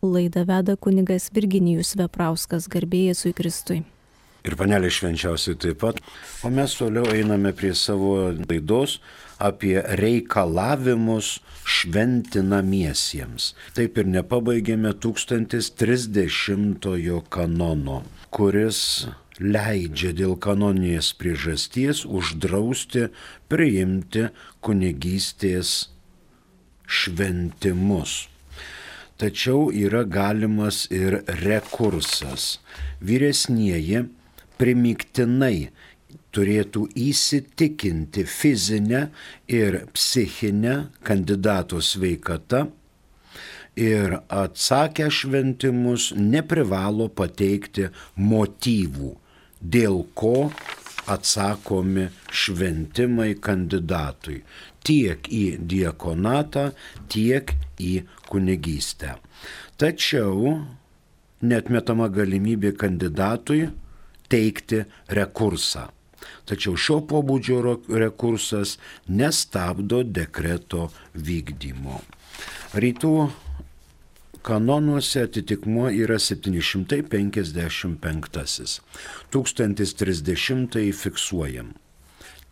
Laidą veda kunigas Virginijus Veprauskas, garbė Jėzui Kristui. Ir panelė švenčiausiai taip pat. O mes toliau einame prie savo laidos apie reikalavimus šventinamiesiems. Taip ir nepabaigėme 1030 kanono, kuris leidžia dėl kanoninės priežasties uždrausti priimti kunigystės šventimus. Tačiau yra galimas ir rekursas. Vyresnieji primygtinai turėtų įsitikinti fizinę ir psichinę kandidato sveikata ir atsakę šventimus neprivalo pateikti motyvų, dėl ko atsakomi šventimai kandidatui tiek į diakonatą, tiek į kunigystę. Tačiau neatmetama galimybė kandidatui teikti rekursą. Tačiau šio pobūdžio rekursas nestabdo dekreto vykdymo. Rytų kanonuose atitikmuo yra 755. 1030 fiksuojam.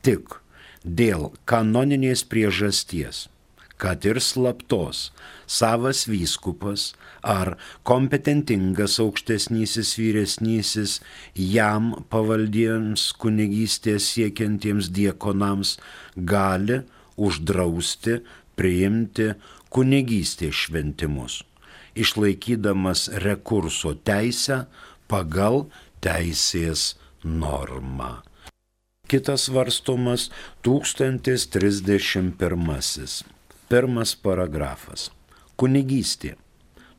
Tik dėl kanoninės priežasties, kad ir slaptos, savas vyskupas ar kompetentingas aukštesnysis vyresnysis jam pavaldiems kunigystės siekiantiems diakonams gali uždrausti priimti kunigystės šventimus, išlaikydamas rekurso teisę pagal teisės normą. Kitas svarstomas 1031. Pirmas paragrafas. Kunigystė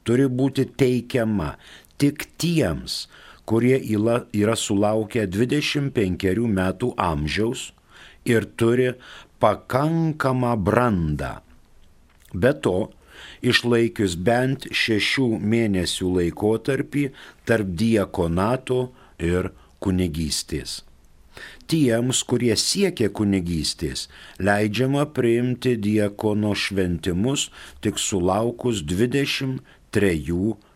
turi būti teikiama tik tiems, kurie yra sulaukę 25 metų amžiaus ir turi pakankamą brandą. Be to, išlaikius bent 6 mėnesių laikotarpį tarp diakonato ir kunigystės. Tiems, kurie siekia kunigystės, leidžiama priimti diakono šventimus tik sulaukus 23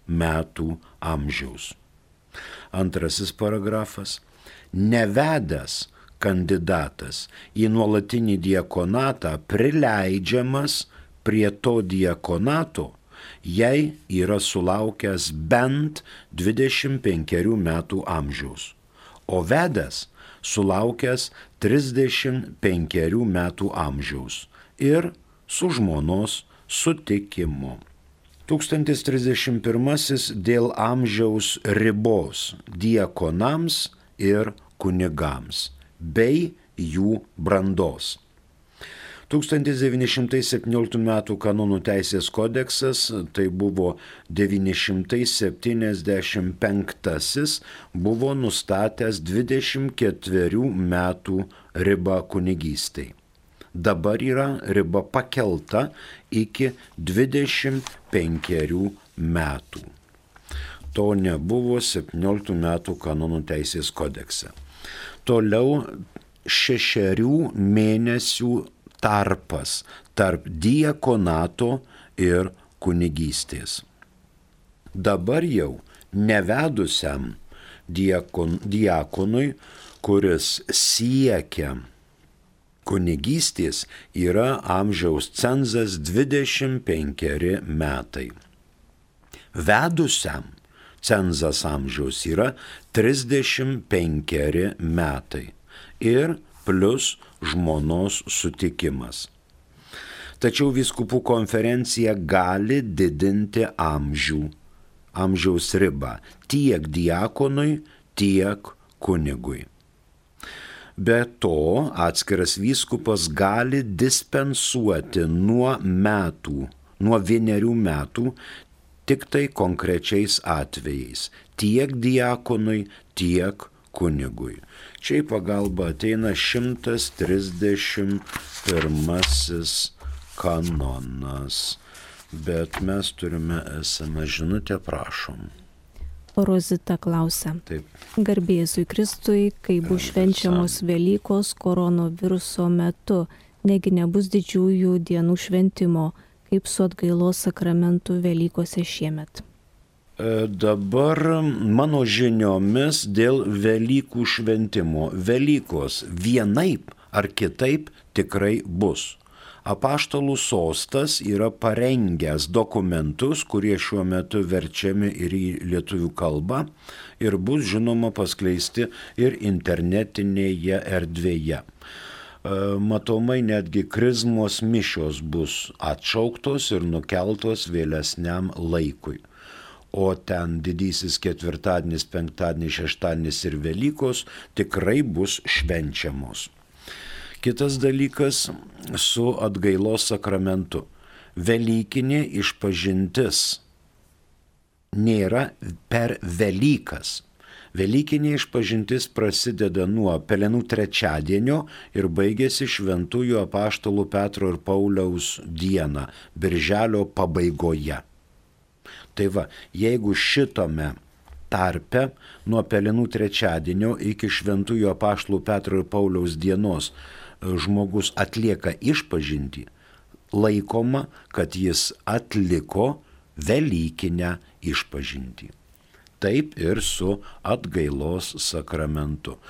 metų amžiaus. Antrasis paragrafas. Nevedęs kandidatas į nuolatinį diakonatą prileidžiamas prie to diakonato, jei yra sulaukęs bent 25 metų amžiaus, o vedęs sulaukęs 35 metų amžiaus ir su žmonos sutikimu. 1031 dėl amžiaus ribos diakonams ir kunigams bei jų brandos. 1917 m. kanonų teisės kodeksas, tai buvo 975, buvo nustatęs 24 metų ribą kunigystei. Dabar yra riba pakelta iki 25 metų. To nebuvo 17 metų kanonų teisės kodekse. Toliau 6 mėnesių tarpas tarp diakonato ir kunigystės. Dabar jau nevedusiam diakonui, kuris siekia kunigystės, yra amžiaus cenzas 25 metai. Vedusiam cenzas amžiaus yra 35 metai ir plus žmonos sutikimas. Tačiau vyskupų konferencija gali didinti amžiaus ribą tiek diakonui, tiek kunigui. Be to, atskiras vyskupas gali dispensuoti nuo 1 metų tik tai konkrečiais atvejais, tiek diakonui, tiek kunigui. Čia į pagalbą ateina 131 kanonas, bet mes turime esamą žinutę, prašom. Rozita klausia. Taip. Garbė Jėzui Kristui, kai bus švenčiamos Velykos koronaviruso metu, negi nebus didžiųjų dienų šventimo, kaip su atgailos sakramentu Velykose šiemet. Dabar mano žiniomis dėl Velykų šventimo. Velykos vienaip ar kitaip tikrai bus. Apaštalų sostas yra parengęs dokumentus, kurie šiuo metu verčiami ir į lietuvių kalbą ir bus žinoma paskleisti ir internetinėje erdvėje. Matomai netgi krizmos mišios bus atšauktos ir nukeltos vėlesniam laikui. O ten didysis ketvirtadienis, penktadienis, šeštadienis ir Velykos tikrai bus švenčiamos. Kitas dalykas su atgailos sakramentu. Velykinė išpažintis nėra per Velykas. Velykinė išpažintis prasideda nuo Pelenų trečiadienio ir baigėsi šventųjų apaštalų Petro ir Pauliaus dieną, birželio pabaigoje. Tai va, jeigu šitome tarpe nuo Pelenų trečiadienio iki šventųjų apaštalų Petro ir Pauliaus dienos žmogus atlieka išpažintį, laikoma, kad jis atliko velykinę išpažintį. Taip ir su atgailos sakramentu.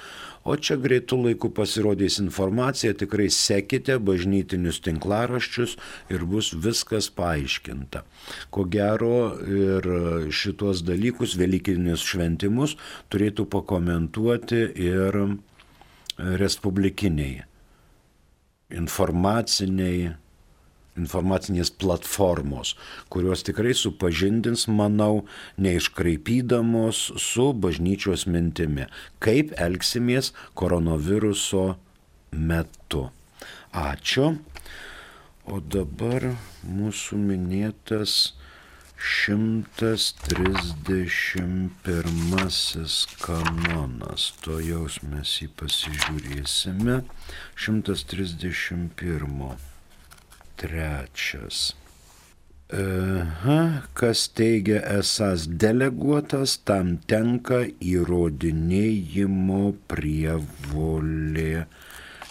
O čia greitų laikų pasirodys informacija, tikrai sekite bažnytinius tinklaraščius ir bus viskas paaiškinta. Ko gero ir šitos dalykus, velykinius šventimus, turėtų pakomentuoti ir respublikiniai informacinės platformos, kurios tikrai supažindins, manau, neiškraipydamos su bažnyčios mintimi, kaip elgsimės koronaviruso metu. Ačiū. O dabar mūsų minėtas 131 kanonas. To jaus mes jį pasižiūrėsime. 131. Trečias. Kas teigia esąs deleguotas, tam tenka įrodinėjimo prievolė.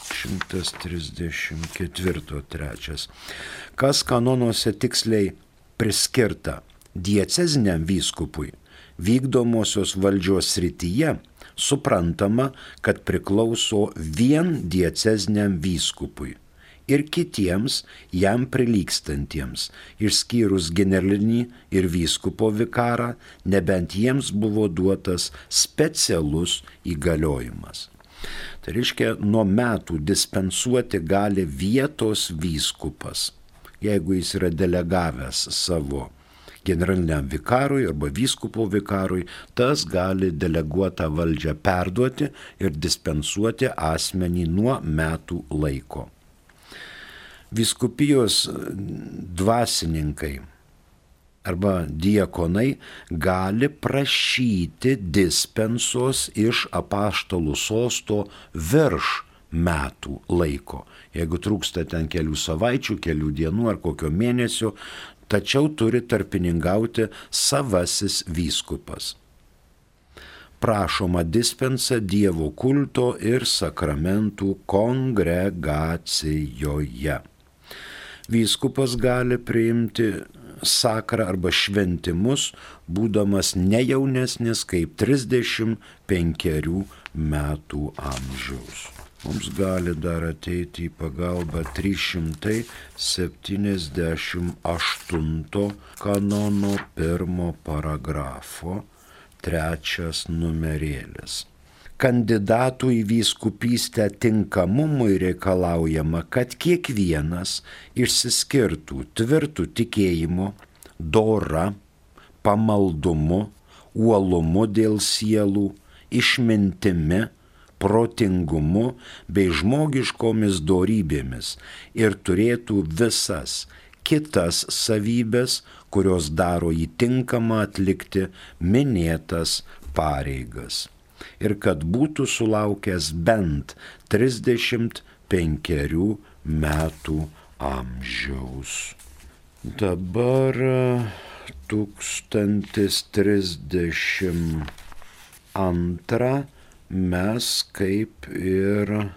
134. Trečias. Kas kanonuose tiksliai priskirta dieceziniam vyskupui vykdomosios valdžios srityje, suprantama, kad priklauso vien dieceziniam vyskupui ir kitiems jam prilygstantiems, išskyrus generalinį ir vyskupo vikarą, nebent jiems buvo duotas specialus įgaliojimas. Tai reiškia, nuo metų dispensuoti gali vietos vyskupas, jeigu jis yra delegavęs savo generaliniam vikarui arba vyskupo vikarui, tas gali deleguotą valdžią perduoti ir dispensuoti asmenį nuo metų laiko. Vyskupijos dvasininkai arba diakonai gali prašyti dispensos iš apaštalų sosto virš metų laiko. Jeigu trūksta ten kelių savaičių, kelių dienų ar kokio mėnesio, tačiau turi tarpininkauti savasis vyskupas. Prašoma dispensa Dievo kulto ir sakramentų kongregacijoje. Vyskupas gali priimti sakrą arba šventimus, būdamas ne jaunesnis kaip 35 metų amžiaus. Mums gali dar ateiti į pagalbą 378 kanono 1 paragrafo 3 numerėlis. Kandidatų į vyskupystę tinkamumui reikalaujama, kad kiekvienas išsiskirtų tvirtų tikėjimu, dora, pamaldumu, uolumu dėl sielų, išmintimi, protingumu bei žmogiškomis dorybėmis ir turėtų visas kitas savybės, kurios daro jį tinkamą atlikti minėtas pareigas. Ir kad būtų sulaukęs bent 35 metų amžiaus. Dabar 1032 mes kaip ir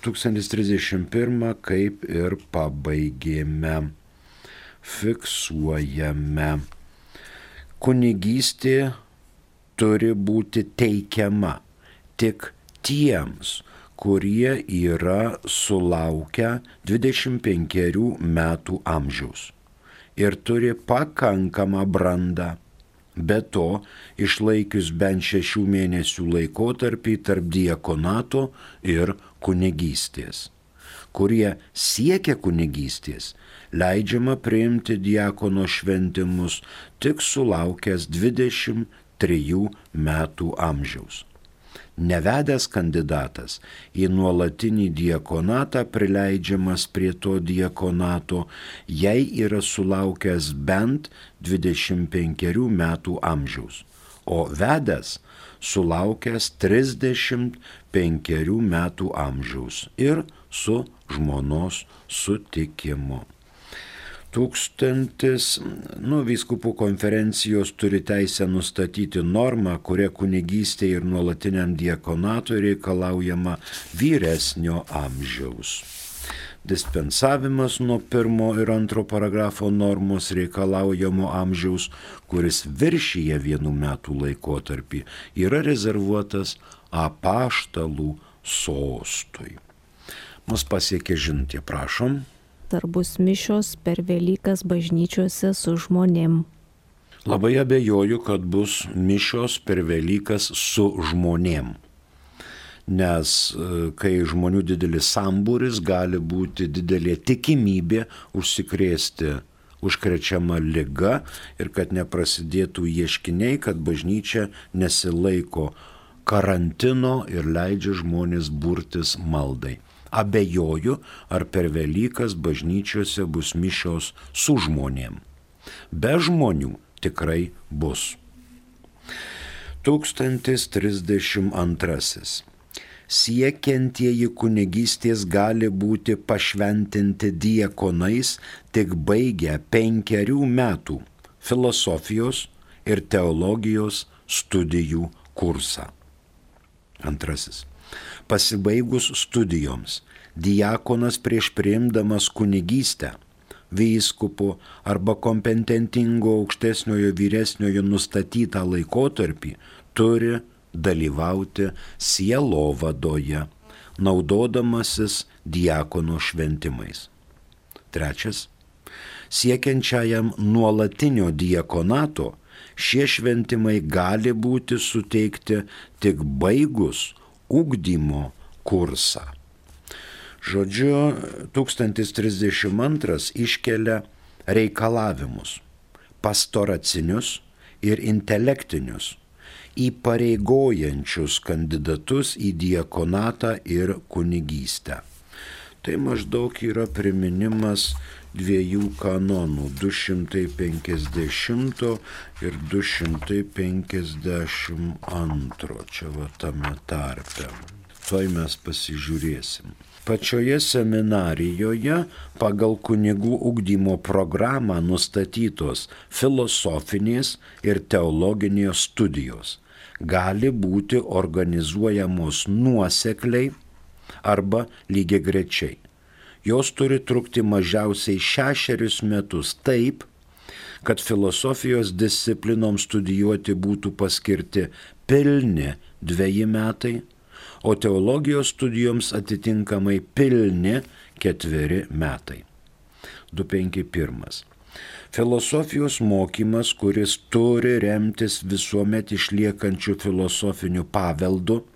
1031 kaip ir pabaigėme, fiksuojame. kunigystė turi būti teikiama tik tiems, kurie yra sulaukę 25 metų amžiaus ir turi pakankamą brandą. Be to, išlaikius bent 6 mėnesių laikotarpį tarp diakonato ir kunigystės. Kurie siekia kunigystės, leidžiama priimti diakono šventimus tik sulaukęs 23 metų amžiaus. Nevedęs kandidatas į nuolatinį diakonatą prileidžiamas prie to diakonato, jei yra sulaukęs bent 25 metų amžiaus, o vedęs sulaukęs 35 metų amžiaus ir su žmonos sutikimu. Vyskupų konferencijos turi teisę nustatyti normą, kuria kunigystė ir nuolatiniam diakonatui reikalaujama vyresnio amžiaus. Dispensavimas nuo 1 ir 2 paragrafo normos reikalaujamo amžiaus, kuris viršyje 1 metų laikotarpį, yra rezervuotas apaštalų sostui. Mus pasiekė žinutė, prašom. Ar bus mišios per Velykas bažnyčiose su žmonėm? Labai abejoju, kad bus mišios per Velykas su žmonėm. Nes kai žmonių didelis sambūris, gali būti didelė tikimybė užsikrėsti užkrečiama liga ir kad neprasidėtų ieškiniai, kad bažnyčia nesilaiko karantino ir leidžia žmonės burtis maldai. Abejoju, ar per Velykas bažnyčiose bus mišios su žmonėm. Be žmonių tikrai bus. 1032. Siekiantieji kunigystės gali būti pašventinti diakonais tik baigę 5 metų filosofijos ir teologijos studijų kursą. 2. Pasibaigus studijoms, diakonas prieš priimdamas kunigystę, vyskupo arba kompetentingo aukštesniojo vyresniojo nustatytą laikotarpį turi dalyvauti sielovadoje, naudodamasis diakono šventimais. 3. Siekiančiajam nuolatinio diakonato šie šventimai gali būti suteikti tik baigus ugdymo kursą. Žodžiu, 1032 iškelia reikalavimus pastoracinius ir intelektinius, įpareigojančius kandidatus į diakonatą ir kunigystę. Tai maždaug yra priminimas 2 kanonų, 250 ir 252, čia va tame tarpe. Tuoj mes pasižiūrėsim. Pačioje seminarijoje pagal kunigų ugdymo programą nustatytos filosofinės ir teologinės studijos gali būti organizuojamos nuosekliai arba lygiagrečiai. Jos turi trukti mažiausiai 6 metus taip, kad filosofijos disciplinoms studijuoti būtų paskirti pilni 2 metai, o teologijos studijoms atitinkamai pilni 4 metai. 251. Filosofijos mokymas, kuris turi remtis visuomet išliekančių filosofinių paveldų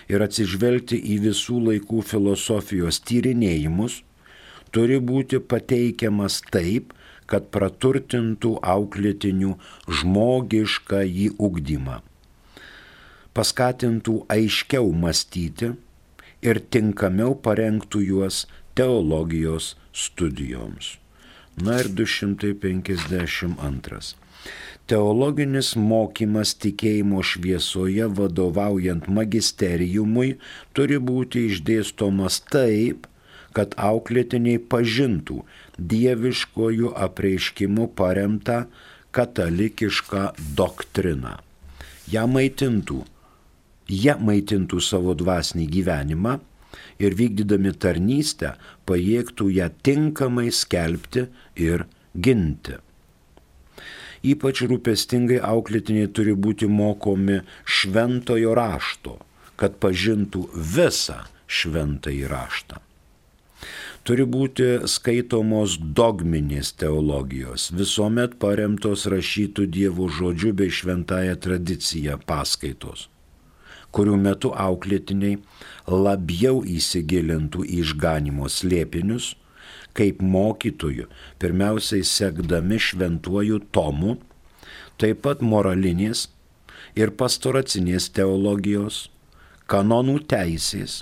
ir atsižvelgti į visų laikų filosofijos tyrinėjimus, turi būti pateikiamas taip, kad praturtintų auklėtinių žmogiškąjį ugdymą, paskatintų aiškiau mąstyti ir tinkamiau parengtų juos teologijos studijoms. Na ir 252. Teologinis mokymas tikėjimo šviesoje vadovaujant magisteriumui turi būti išdėstomas taip, kad auklėtiniai pažintų dieviškojų apreiškimu paremtą katalikišką doktriną. Jie maitintų savo dvasinį gyvenimą ir vykdydami tarnystę pajėgtų ją tinkamai skelbti ir ginti. Ypač rūpestingai auklėtiniai turi būti mokomi šventojo rašto, kad pažintų visą šventąjį raštą. Turi būti skaitomos dogminės teologijos, visuomet paremtos rašytų Dievo žodžiu bei šventąją tradiciją paskaitos, kurių metu auklėtiniai labiau įsigilintų į išganimo slėpinius, kaip mokytojų, pirmiausiai sekdami šventuoju tomu, taip pat moralinės ir pastoracinės teologijos, kanonų teisės,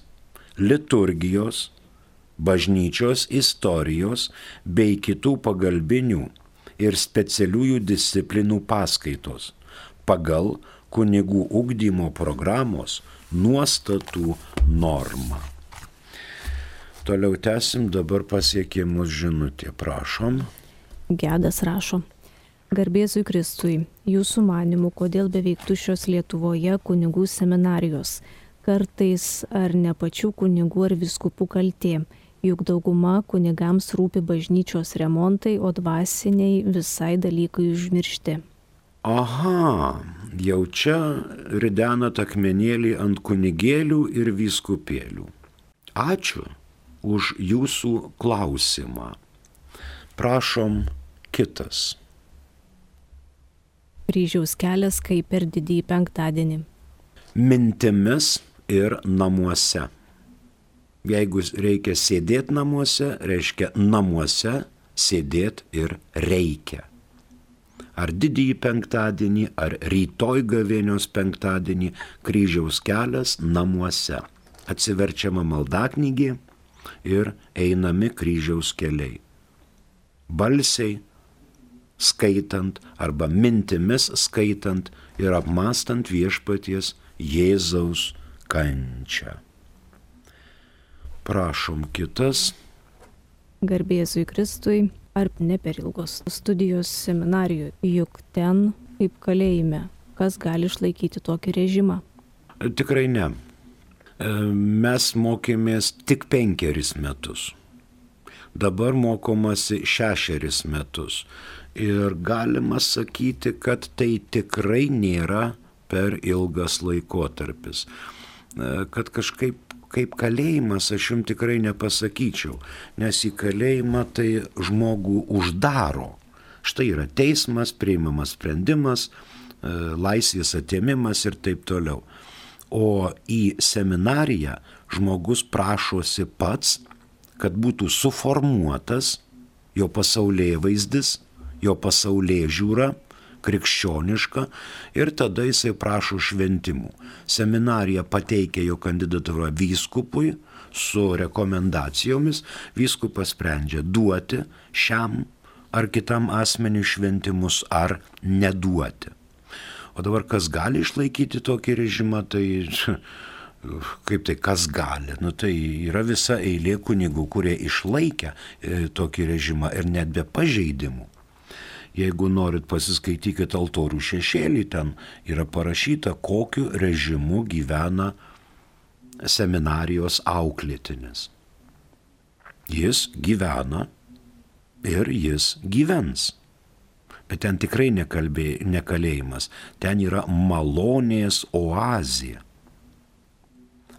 liturgijos, bažnyčios istorijos bei kitų pagalbinių ir specialiųjų disciplinų paskaitos pagal kunigų ugdymo programos nuostatų normą. Toliau tęsim, dabar pasiekė mus žinutė, prašom. Gedas rašo. Garbėzui Kristui, jūsų manymu, kodėl beveik tuščios Lietuvoje kunigų seminarijos? Kartais ar ne pačių kunigų ar vyskupų kaltė? Juk dauguma kunigams rūpi bažnyčios remontai, o dvasiniai visai dalykai užmiršti. Aha, jau čia ridenat akmenėlį ant kunigėlių ir vyskupėlių. Ačiū už jūsų klausimą. Prašom kitas. Kryžiaus kelias kaip per didįjį penktadienį. Mintimis ir namuose. Jeigu reikia sėdėti namuose, reiškia namuose sėdėti ir reikia. Ar didįjį penktadienį, ar rytoj gavėnios penktadienį kryžiaus kelias namuose. Atsiverčiama maldaknygė ir einami kryžiaus keliai. Balsiai skaitant arba mintimis skaitant ir apmąstant viešpaties Jėzaus kančią. Prašom kitas. Garbėzui Kristui, ar ne per ilgos studijos seminarijoje, juk ten kaip kalėjime, kas gali išlaikyti tokį režimą? Tikrai ne. Mes mokėmės tik 5 metus. Dabar mokomasi 6 metus. Ir galima sakyti, kad tai tikrai nėra per ilgas laikotarpis. Kad kažkaip kaip kalėjimas aš jums tikrai nepasakyčiau, nes į kalėjimą tai žmogų uždaro. Štai yra teismas, priimamas sprendimas, laisvės atėmimas ir taip toliau. O į seminariją žmogus prašosi pats, kad būtų suformuotas jo pasaulėvaizdis, jo pasaulėžiūra, krikščioniška, ir tada jisai prašo šventimų. Seminarija pateikia jo kandidatūrą vyskupui su rekomendacijomis, vyskupas sprendžia duoti šiam ar kitam asmeniui šventimus ar neduoti. O dabar kas gali išlaikyti tokį režimą, tai kaip tai kas gali? Tai yra visa eilė kunigų, kurie išlaikė tokį režimą ir net be pažeidimų. Jeigu norit, pasiskaitykit altorių šešėlį, ten yra parašyta, kokiu režimu gyvena seminarijos auklėtinis. Jis gyvena ir jis gyvens. Bet ten tikrai ne kalėjimas, ten yra malonės oazė.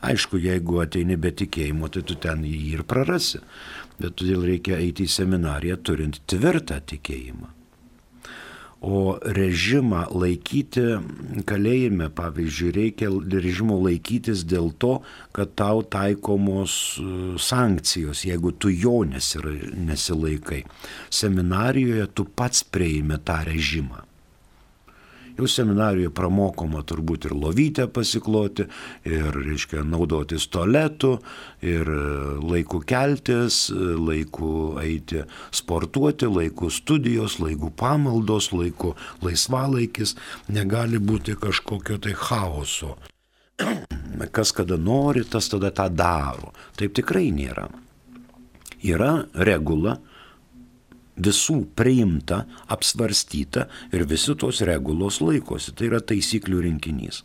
Aišku, jeigu ateini be tikėjimo, tai tu ten jį ir prarasi, bet todėl reikia eiti į seminariją turint tvirtą tikėjimą. O režimą laikyti kalėjime, pavyzdžiui, reikia režimo laikytis dėl to, kad tau taikomos sankcijos, jeigu tu jo nesilaikai. Seminarijoje tu pats prieimi tą režimą. Jau seminarijoje pramokoma turbūt ir lovytę pasikloti, ir, reiškia, naudotis tualetu, ir laiku keltis, laiku eiti sportuoti, laiku studijos, laiku pamaldos, laiku laisvalaikis. Negali būti kažkokio tai chaoso. Kas kada nori, tas tada tą daro. Taip tikrai nėra. Yra regula, visų priimta, apsvarstyta ir visi tos regulos laikosi. Tai yra taisyklių rinkinys.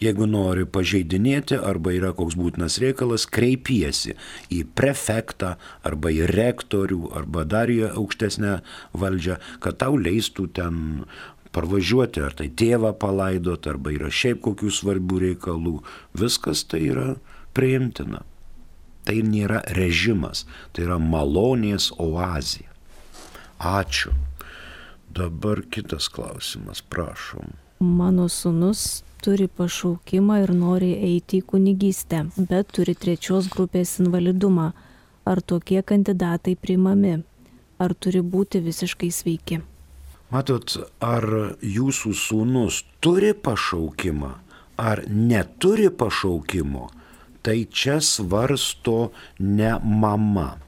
Jeigu nori pažeidinėti arba yra koks būtinas reikalas, kreipiesi į prefektą arba į rektorių arba dar į aukštesnę valdžią, kad tau leistų ten parvažiuoti, ar tai tėvą palaidot, arba yra šiaip kokių svarbių reikalų. Viskas tai yra priimtina. Tai nėra režimas, tai yra malonės oazė. Ačiū. Dabar kitas klausimas, prašom. Mano sūnus turi pašaukimą ir nori eiti į kunigystę, bet turi 3 grupės invalidumą. Ar tokie kandidatai priimami? Ar turi būti visiškai sveiki? Matot, ar jūsų sūnus turi pašaukimą, ar neturi pašaukimo, tai čia svarsto ne mama.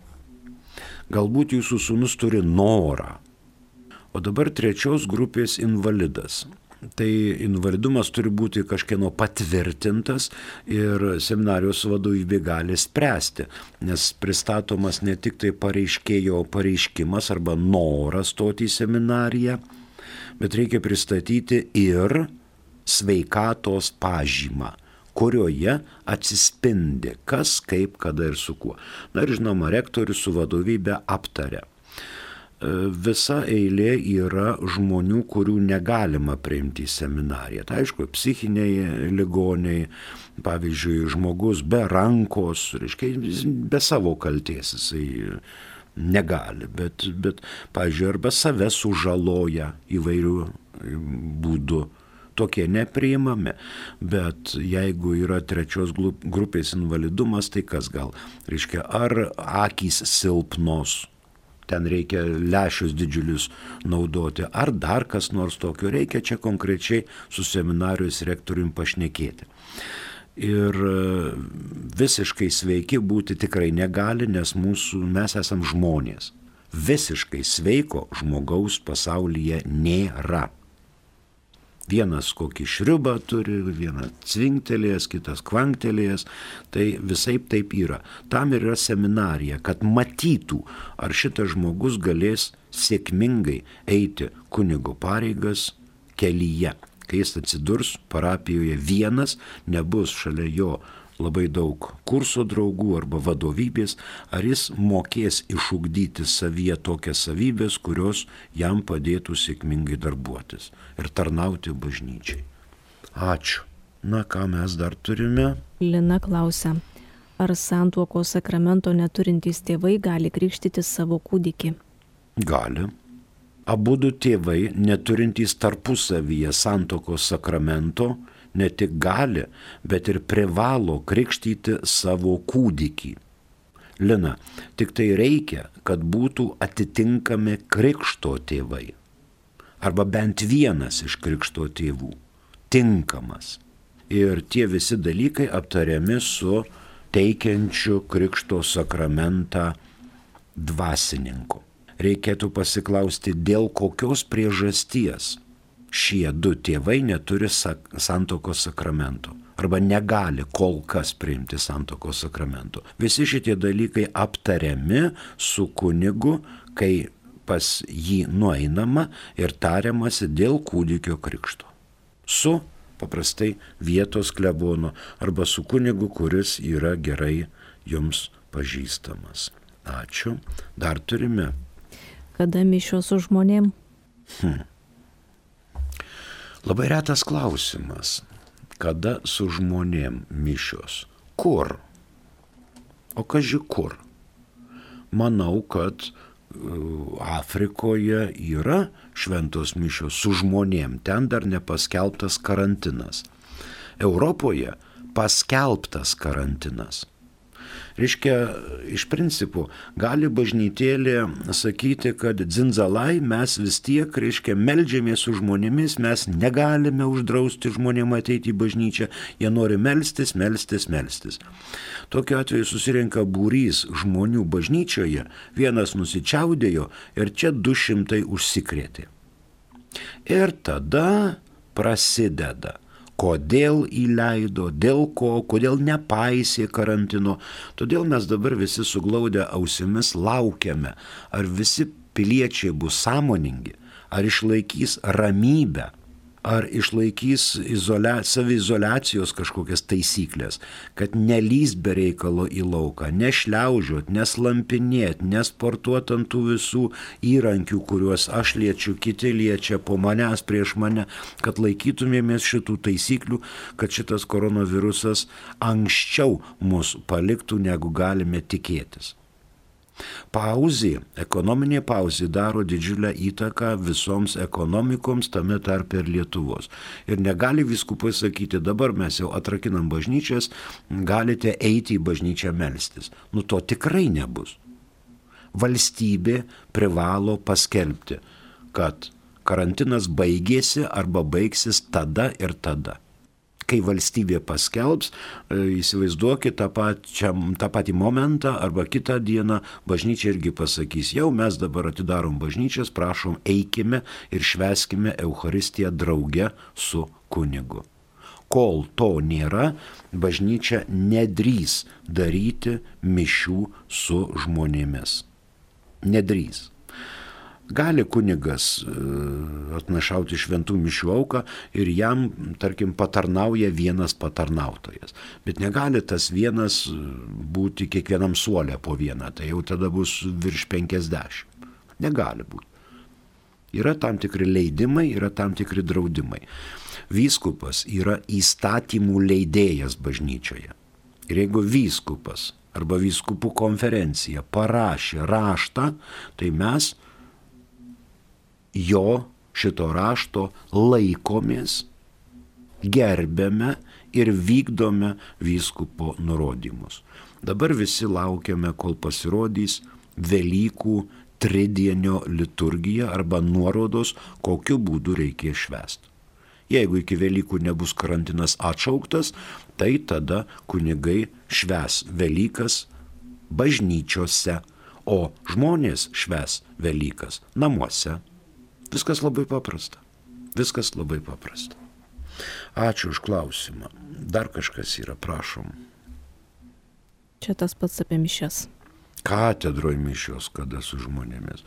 Galbūt jūsų sūnus turi norą. O dabar 3 grupės invalidas. Tai invalidumas turi būti kažkieno patvirtintas ir seminarijos vadovybė gali spręsti, nes pristatomas ne tik tai pareiškėjo pareiškimas arba noras stoti į seminariją, bet reikia pristatyti ir sveikatos pažymą, kurioje atsispindi kas, kaip, kada ir su kuo. Na ir žinoma, rektorius su vadovybė aptaria. Visa eilė yra žmonių, kurių negalima priimti į seminariją. Tai aišku, psichiniai ligoniai, pavyzdžiui, žmogus be rankos, reiškia, be savo kaltės jisai negali, bet pavyzdžiui, arba save sužaloja įvairių būdų. Tokie nepriimami, bet jeigu yra 3 grupės invalidumas, tai kas gal? Reiškia, ar akys silpnos, ten reikia lęšius didžiulius naudoti, ar dar kas nors tokio, reikia čia konkrečiai su seminarijos rektoriumi pašnekėti. Ir visiškai sveiki būti tikrai negali, nes mes esam žmonės. Visiškai sveiko žmogaus pasaulyje nėra. Vienas kokį šriubą turi, vienas cvinktelėjęs, kitas kvanktelėjęs, tai visaip taip yra. Tam yra seminarija, kad matytų, ar šitas žmogus galės sėkmingai eiti kunigo pareigas kelyje. Kai jis atsidurs parapijoje vienas, nebus šalia jo labai daug kurso draugų arba vadovybės, ar jis mokės išugdyti savyje tokias savybės, kurios jam padėtų sėkmingai darbuotis ir tarnauti bažnyčiai. Ačiū. Na, ką mes dar turime? Lina klausia, ar santuokos sakramento neturintys tėvai gali krikštyti savo kūdikį? Gali. Abudu tėvai, neturintys tarpusavyje santuokos sakramento, ne tik gali, bet ir privalo krikštyti savo kūdikį. Lina, tik tai reikia, kad būtų atitinkami krikšto tėvai. Arba bent vienas iš krikšto tėvų. Tinkamas. Ir tie visi dalykai aptariami su teikiančiu krikšto sakramentą dvasininku. Reikėtų pasiklausti, dėl kokios priežasties šie 2 tėvai neturi santuokos sakramento arba negali kol kas priimti santuokos sakramento. Visi šitie dalykai aptariami su kunigu, kai pas jį nueinama ir tariamasi dėl kūdikio krikšto. Su paprastai vietos klebono arba su kunigu, kuris yra gerai jums pažįstamas. Ačiū. Dar turime. Kada mišios su žmonėm? Labai retas klausimas. Kada su žmonėm mišios? Kur? O kaži kur? Manau, kad Afrikoje yra šventos mišios su žmonėm. Ten dar nepaskelbtas karantinas. Europoje paskelbtas karantinas. Reiškia, iš principo, gali bažnytėlė sakyti, kad dzindzalai mes vis tiek, reiškia, meldžiamės su žmonėmis, mes negalime uždrausti žmonėm ateiti į bažnyčią, jie nori melstis. Tokiu atveju susirenka būrys žmonių bažnyčioje, vienas nusičiaudėjo ir čia 200 užsikrėtė. Ir tada prasideda. Kodėl įleido, dėl ko, kodėl nepaisė karantino. Todėl mes dabar visi suglaudę ausimis laukiame, ar visi piliečiai bus sąmoningi, ar išlaikys ramybę, ar išlaikys saviizoliacijos kažkokias taisyklės, kad nelįst be reikalo į lauką, nešliaužiot, neslampinėt, nesportuot ant tų visų įrankių, kuriuos aš liečiu, kiti liečia po manęs, prieš mane, kad laikytumėmės šitų taisyklių, kad šitas koronavirusas anksčiau mus paliktų, negu galime tikėtis. Pauzė, ekonominė pauzė daro didžiulę įtaką visoms ekonomikoms, tame tarpe ir Lietuvos. Ir negali vyskupai sakyti, dabar mes jau atrakinam bažnyčias, galite eiti į bažnyčią melstis. To tikrai nebus. Valstybė privalo paskelbti, kad karantinas baigėsi arba baigsis tada ir tada. Kai valstybė paskelbs, įsivaizduokit tą patį momentą arba kitą dieną bažnyčia irgi pasakys, jau mes dabar atidarom bažnyčias, prašom eikime ir švęskime Eucharistiją drauge su kunigu. Kol to nėra, bažnyčia nedrįs daryti mišių su žmonėmis. Nedrįs. Gali kunigas atnašauti šventų mišių auką ir jam, tarkim, patarnauja vienas patarnautojas. Bet negali tas vienas būti kiekvienam suolė po vieną, tai jau tada bus virš 50. Negali būti. Yra tam tikri leidimai, yra tam tikri draudimai. Vyskupas yra įstatymų leidėjas bažnyčioje. Ir jeigu vyskupas arba vyskupų konferencija parašė raštą, tai mes jo šito rašto laikomės, gerbėme ir vykdome vyskupo nurodymus. Dabar visi laukiame, kol pasirodys Velykų tridienio liturgija arba nuorodos, kokiu būdu reikės švęsti. Jeigu iki Velykų nebus karantinas atšauktas, tai tada kunigai švęs Velykas bažnyčiose, o žmonės švęs Velykas namuose. Viskas labai paprasta. Viskas labai paprasta. Ačiū už klausimą. Dar kažkas yra, prašom. Čia tas pats apie mišias. Katedroje mišios, kada su žmonėmis.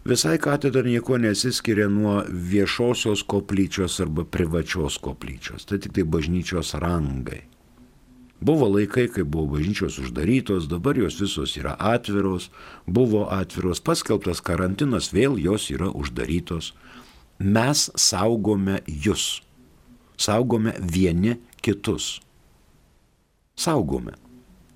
Visai katedra nieko nesiskiria nuo viešosios koplyčios arba privačios koplyčios. Tai tik tai bažnyčios rangai. Buvo laikai, kai buvo bažnyčios uždarytos, dabar jos visos yra atviros, buvo atviros, paskelbtas karantinas, vėl jos yra uždarytos. Mes saugome jūs, saugome vieni kitus. Saugome.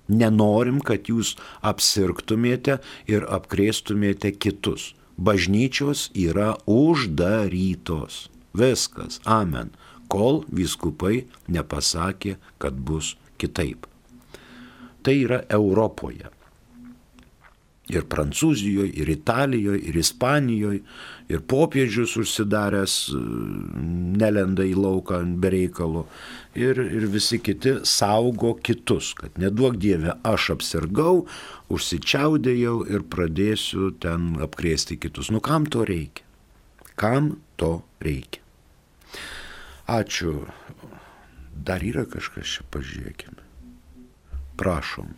Nenorim, kad jūs apsirgtumėte ir apkrėstumėte kitus. Bažnyčios yra uždarytos. Viskas. Amen. Kol vyskupai nepasakė, kad bus kitaip. Tai yra Europoje. Ir Prancūzijoje, ir Italijoje, ir Ispanijoje, ir popiežius užsidaręs nelenda į lauką be reikalo. Ir visi kiti saugo kitus, kad neduok Dieve, aš apsirgau, užsičiaudėjau ir pradėsiu ten apkrėsti kitus. Kam to reikia? Kam to reikia? Ačiū. Dar yra kažkas čia, pažiūrėkime. Prašom.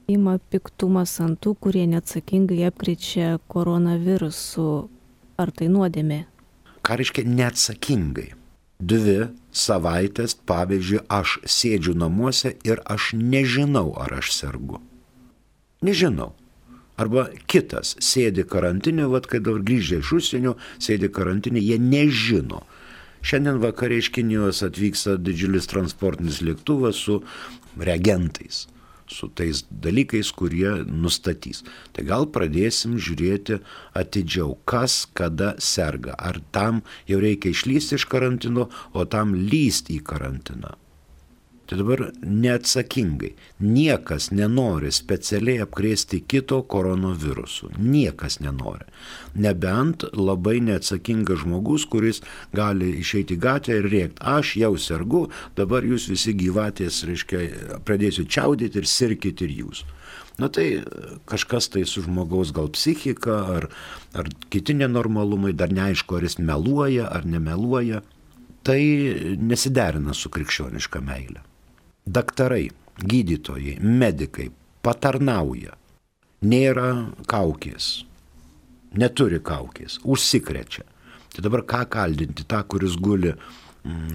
Ima piktumas ant tų, kurie neatsakingai apkrečia koronavirusu. Ar tai nuodėmė? Ką reiškia neatsakingai? 2 savaitės, pavyzdžiui, aš sėdžiu namuose ir aš nežinau, ar aš sergu. Nežinau. Arba kitas sėdi karantinė, kai dabar grįžę iš užsienio, sėdi karantinė, jie nežino. Šiandien vakare iš Kinijos atvyksta didžiulis transportinis lėktuvas su reagentais, su tais dalykais, kurie nustatys. Tai gal pradėsim žiūrėti atidžiau, kas kada serga. Ar tam jau reikia išlysti iš karantino, o tam lysti į karantiną. Tai dabar neatsakingai. Niekas nenori specialiai apkrėsti kito koronavirusu. Niekas nenori. Nebent labai neatsakingas žmogus, kuris gali išeiti į gatvę ir rėkti, aš jau sergu, dabar jūs visi gyvatės, pradėsiu čiaudyti ir sirkit ir jūs. Tai kažkas tai su žmogaus gal psichika, ar kiti nenormalumai, dar neaišku, ar jis meluoja ar nemeluoja. Tai nesiderina su krikščioniška meile. Daktarai, gydytojai, medikai patarnauja. Nėra kaukės, neturi kaukės, užsikrečia. Tai dabar ką kaldinti tą, kuris guli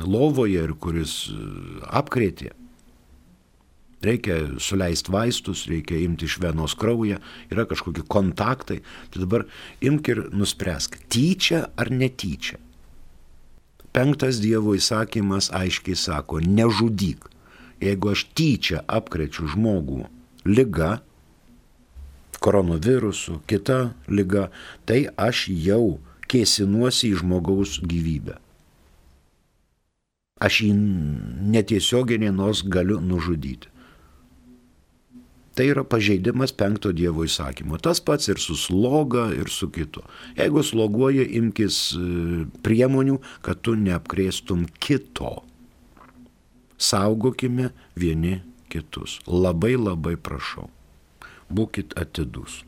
lovoje ir kuris apkrėtė. Reikia suleisti vaistus, reikia imti iš venos kraują, yra kažkokie kontaktai. Tai dabar imk ir nuspręsk, tyčia ar netyčia. 5 Dievo įsakymas aiškiai sako, nežudyk. Jeigu aš tyčia apkrečiu žmogų liga, koronavirusu, kita liga, tai aš jau kėsinuosi į žmogaus gyvybę. Aš jį netiesiogiai nors galiu nužudyti. Tai yra pažeidimas 5 Dievo įsakymo. Tas pats ir su sloga, ir su kitu. Jeigu sloguoji, imkis priemonių, kad tu neapkrėstum kito. Saugokime vieni kitus. Labai labai prašau. Būkit atidus.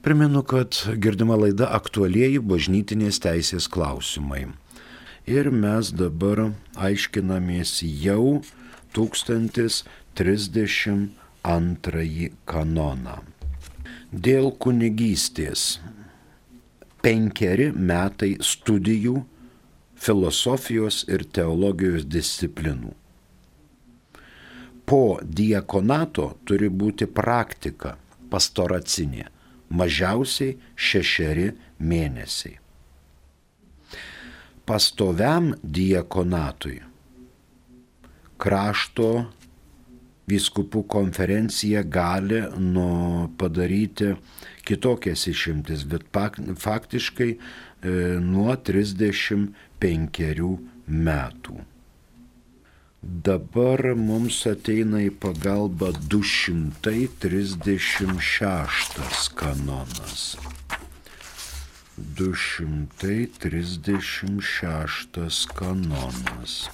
Primenu, kad girdima laida aktualieji bažnytinės teisės klausimai. Ir mes dabar aiškinamės jau 1032 kanoną. Dėl kunigystės 5 metai studijų filosofijos ir teologijos disciplinų. Po diakonato turi būti praktika pastoracinė, mažiausiai 6 mėnesiai. Pastoviam diakonatui krašto vyskupų konferencija gali padaryti kitokias išimtis, bet faktiškai nuo 35 metų. Dabar mums ateina į pagalbą 236 kanonas. 236 kanonas.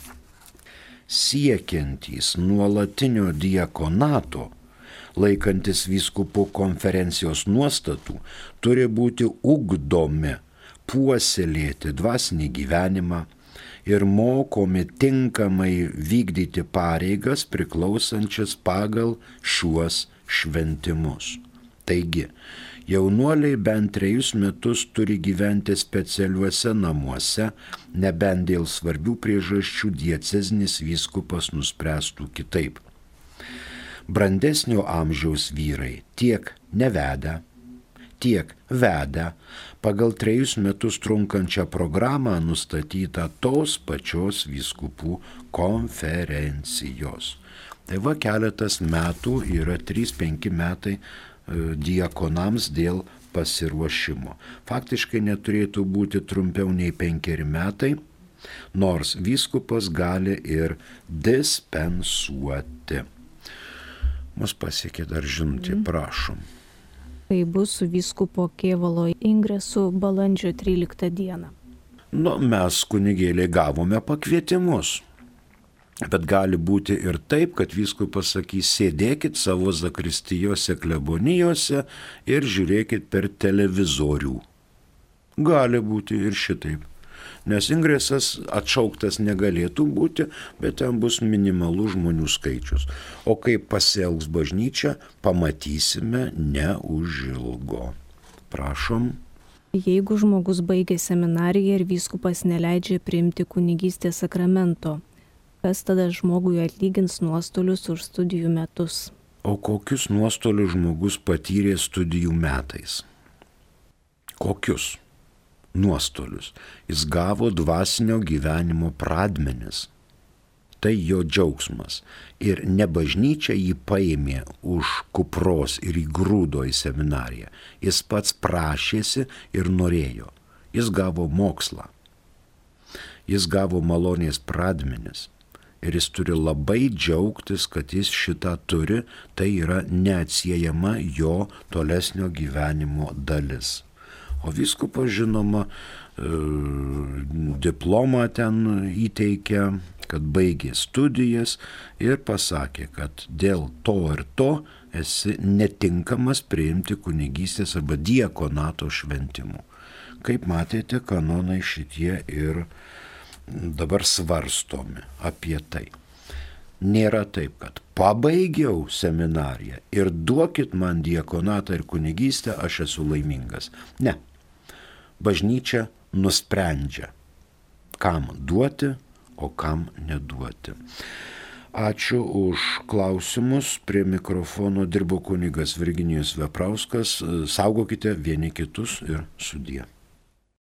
Siekiantys nuolatinio diakonato, laikantis vyskupų konferencijos nuostatų, turi būti ugdomi, puoselėti dvasinį gyvenimą ir mokomi tinkamai vykdyti pareigas priklausančias pagal šiuos šventimus. Taigi, jaunuoliai bent 3 metus turi gyventi specialiuose namuose, nebent dėl svarbių priežasčių diecezinis vyskupas nuspręstų kitaip. Brandesnio amžiaus vyrai tiek nevedę, tiek vedę pagal 3 metus trunkančią programą nustatytą tos pačios vyskupų konferencijos. Tai va keletas metų yra 3-5 metai diakonams dėl pasiruošimo. Faktiškai neturėtų būti trumpiau nei 5 metai, nors vyskupas gali ir dispensuoti. Mus pasiekė dar žinutė, prašom. Tai bus su vyskupo Kėvalo ingresu balandžio 13 dieną. Mes kunigėliai gavome pakvietimus. Bet gali būti ir taip, kad vyskupas sakys, sėdėkit savo zakristijose, klebonijose ir žiūrėkit per televizorių. Gali būti ir šitaip. Nes ingresas atšauktas negalėtų būti, bet ten bus minimalus žmonių skaičius. O kaip pasielgs bažnyčia, pamatysime neužilgo. Prašom. Jeigu žmogus baigė seminariją ir vyskupas neleidžia priimti kunigystės sakramento, kas tada žmogui atlygins nuostolius už studijų metus? O kokius nuostolius žmogus patyrė studijų metais? Kokius nuostolius? Jis gavo dvasinio gyvenimo pradmenis. Tai jo džiaugsmas. Ir ne bažnyčia jį paėmė už kupros ir įgrūdo į seminariją. Jis pats prašėsi ir norėjo. Jis gavo mokslą. Jis gavo malonės pradmenis. Ir jis turi labai džiaugtis, kad jis šitą turi, tai yra neatsiejama jo tolesnio gyvenimo dalis. O vyskupas, žinoma, diplomą ten įteikė, kad baigė studijas ir pasakė, kad dėl to ir to esi netinkamas priimti kunigystės arba diakonato šventimų. Kaip matėte, kanonai šitie ir dabar svarstomi apie tai. Nėra taip, kad pabaigiau seminariją ir duokit man diakonatą ir kunigystę, aš esu laimingas. Ne. Bažnyčia nusprendžia, kam duoti, o kam neduoti. Ačiū už klausimus. Prie mikrofono dirbo kunigas Virginijus Veprauskas. Saugokite vieni kitus ir sudie.